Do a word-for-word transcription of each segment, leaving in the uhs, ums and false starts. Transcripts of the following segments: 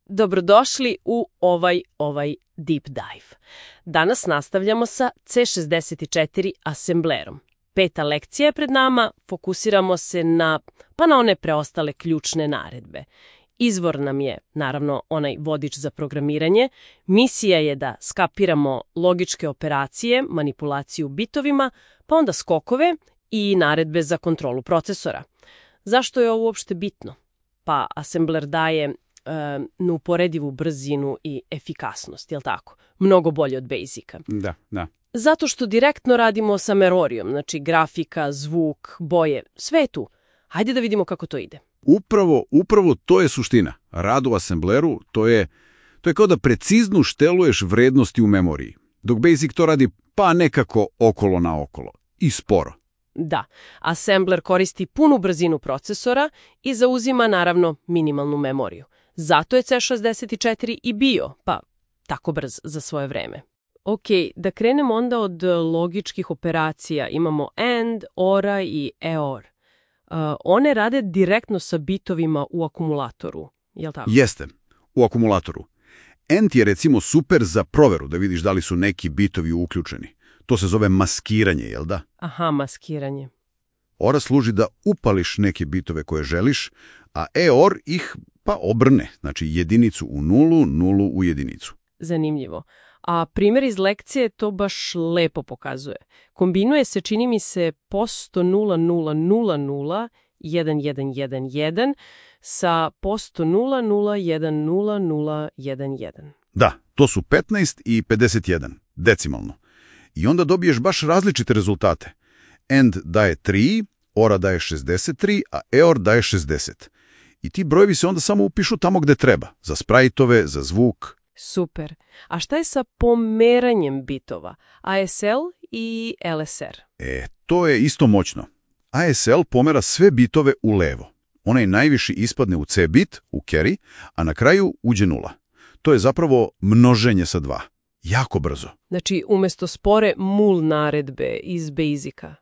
Dobrodošli u ovaj, ovaj deep dive. Danas nastavljamo sa C šezdeset četiri asemblerom. Peta lekcija je pred nama, fokusiramo se na, pa na one preostale ključne naredbe. Izvor nam je, naravno, onaj vodič za programiranje. Misija je da skapiramo logičke operacije, manipulaciju bitovima, pa onda skokove i naredbe za kontrolu procesora. Zašto je ovo uopšte bitno? Pa asembler daje neuporedivu brzinu i efikasnost, jel tako? Mnogo bolje od Basica. Da, da. Zato što direktno radimo sa memorijom, znači grafika, zvuk, boje, sve je tu. Hajde da vidimo kako to ide. Upravo, upravo to je suština. Rad u assembleru, to je, to je kao da precizno šteluješ vrednosti u memoriji, dok Basic to radi pa nekako okolo na okolo i sporo. Da, assembler koristi punu brzinu procesora i zauzima, naravno, minimalnu memoriju. Zato je C šezdeset četiri i bio, pa tako brz za svoje vreme. Ok, da krenemo onda od logičkih operacija. Imamo AND, ORA i E O R. Uh, one rade direktno sa bitovima u akumulatoru, jel tako? Jeste, u akumulatoru. AND je recimo super za proveru, da vidiš da li su neki bitovi uključeni. To se zove maskiranje, jel da? Aha, maskiranje. ORA služi da upališ neke bitove koje želiš, a E O R ih pa obrne, znači jedinicu u nulu, nulu u jedinicu. Zanimljivo. A primjer iz lekcije to baš lepo pokazuje. Kombinuje se, čini mi se, posto nula nula nula nula jedan jedan jedan jedan sa posto nula nula jedan nula nula jedan jedan. Da, to su petnaest i pedeset jedan, decimalno. I onda dobiješ baš različite rezultate. AND daje tri, ORA daje šezdeset tri, a E O R daje šezdeset. I ti brojevi se onda samo upišu tamo gde treba, za sprajtove, za zvuk. Super. A šta je sa pomeranjem bitova? A S L i L S R? E, to je isto moćno. A S L pomera sve bitove u levo. Onaj najviši ispadne u C bit, u carry, a na kraju uđe nula. To je zapravo množenje sa dva. Jako brzo. Znači, umjesto spore mul naredbe iz Basica.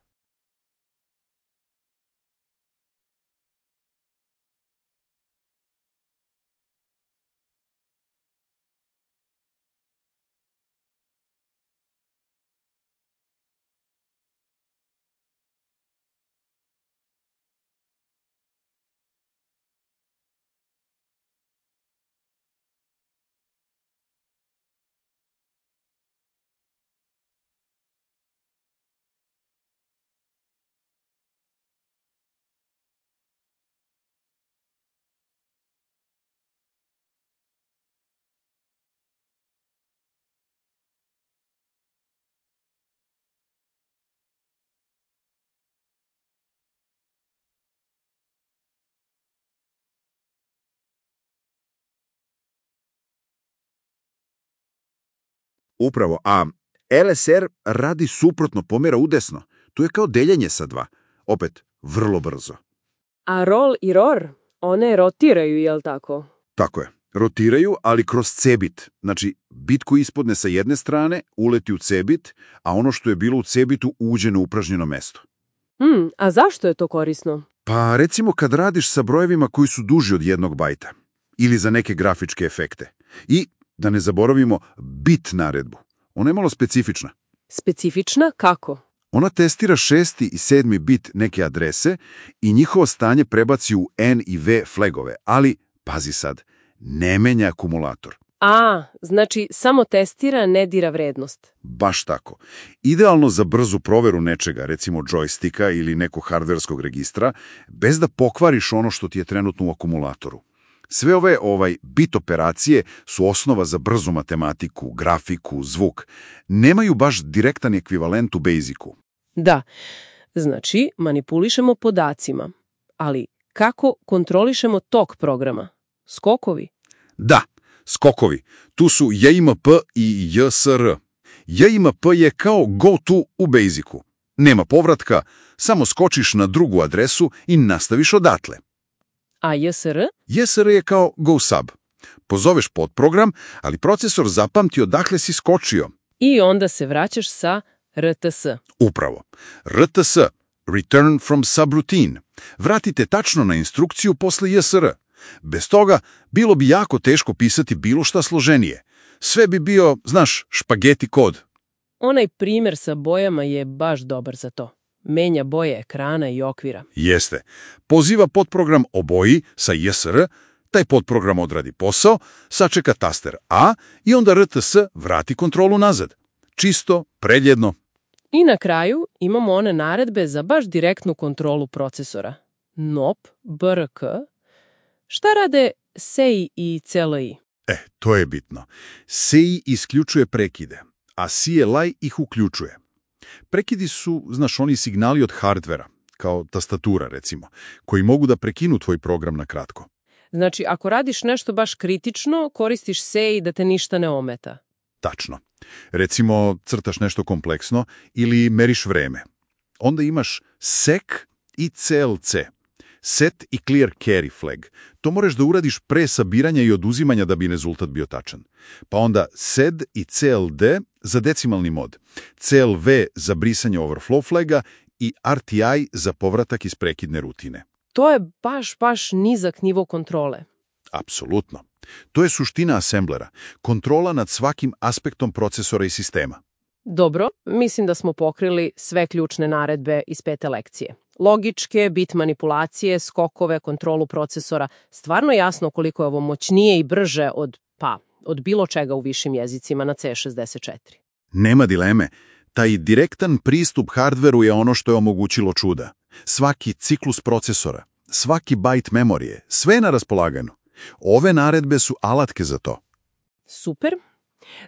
Upravo, a L S R radi suprotno, pomera udesno. To je kao deljenje sa dva. Opet, vrlo brzo. A roll i R O R, one rotiraju, jel tako? Tako je. Rotiraju, ali kroz C bit. Znači, bit koji ispodne sa jedne strane uleti u C bit, a ono što je bilo u C bitu uđe na upražnjeno mesto. Hmm, a zašto je to korisno? Pa recimo kad radiš sa brojevima koji su duži od jednog bajta. Ili za neke grafičke efekte. I da ne zaboravimo bit naredbu. Ona je malo specifična. Specifična? Kako? Ona testira šesti i sedmi bit neke adrese i njihovo stanje prebaci u N i V flagove, ali, pazi sad, ne menja akumulator. A, znači samo testira, ne dira vrednost. Baš tako. Idealno za brzu proveru nečega, recimo džojstika ili nekog hardverskog registra, bez da pokvariš ono što ti je trenutno u akumulatoru. Sve ove ovaj bit operacije su osnova za brzu matematiku, grafiku, zvuk. Nemaju baš direktan ekvivalent u Basicu. Da, znači manipulišemo podacima, ali kako kontrolišemo tok programa? Skokovi? Da, skokovi. Tu su J M P i J S R. J M P je kao go-to u Basicu. Nema povratka, samo skočiš na drugu adresu i nastaviš odatle. A J S R? J S R je kao go-sub. Pozoveš podprogram, ali procesor zapamti odakle si skočio. I onda se vraćaš sa R T S. Upravo. R T S, Return from Subroutine. Vratite tačno na instrukciju posle J S R. Bez toga bilo bi jako teško pisati bilo šta složenije. Sve bi bio, znaš, špageti kod. Onaj primjer sa bojama je baš dobar za to. Menja boje ekrana i okvira. Jeste. Poziva podprogram oboji sa J S R, taj podprogram odradi posao, sačeka taster A i onda R T S vrati kontrolu nazad. Čisto, predjedno. I na kraju imamo one naredbe za baš direktnu kontrolu procesora. N O P, B R K. Šta rade S E I i C L I? E, to je bitno. S E I isključuje prekide, a C L I ih uključuje. Prekidi su, znaš, oni signali od hardvera, kao tastatura recimo, koji mogu da prekinu tvoj program na kratko. Znači, ako radiš nešto baš kritično, koristiš S E I da te ništa ne ometa. Tačno. Recimo, crtaš nešto kompleksno ili meriš vreme. Onda imaš S E C i C L C. Set i clear carry flag. To moraš da uradiš pre sabiranja i oduzimanja da bi rezultat bio tačan. Pa onda S E D i C L D za decimalni mod, C L V za brisanje overflow flaga i R T I za povratak iz prekidne rutine. To je baš, baš nizak nivo kontrole. Apsolutno. To je suština asemblera. Kontrola nad svakim aspektom procesora i sistema. Dobro, mislim da smo pokrili sve ključne naredbe iz pete lekcije. Logičke, bit manipulacije, skokove, kontrolu procesora. Stvarno jasno koliko je ovo moćnije i brže od, pa, od bilo čega u višim jezicima na C šezdeset četiri. Nema dileme. Taj direktan pristup hardveru je ono što je omogućilo čuda. Svaki ciklus procesora, svaki bajt memorije, sve je na raspolaganju. Ove naredbe su alatke za to. Super.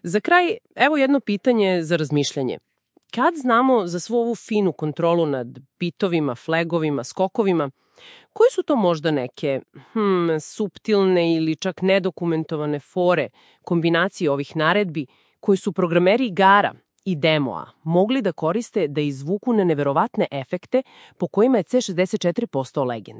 Za kraj, evo jedno pitanje za razmišljanje. Kad znamo za svu ovu finu kontrolu nad bitovima, flagovima, skokovima, koje su to možda neke hmm, suptilne ili čak nedokumentovane fore, kombinacije ovih naredbi, koji su programeri igara i demoa mogli da koriste da izvuku na neverovatne efekte po kojima je C šezdeset četiri postao legenda?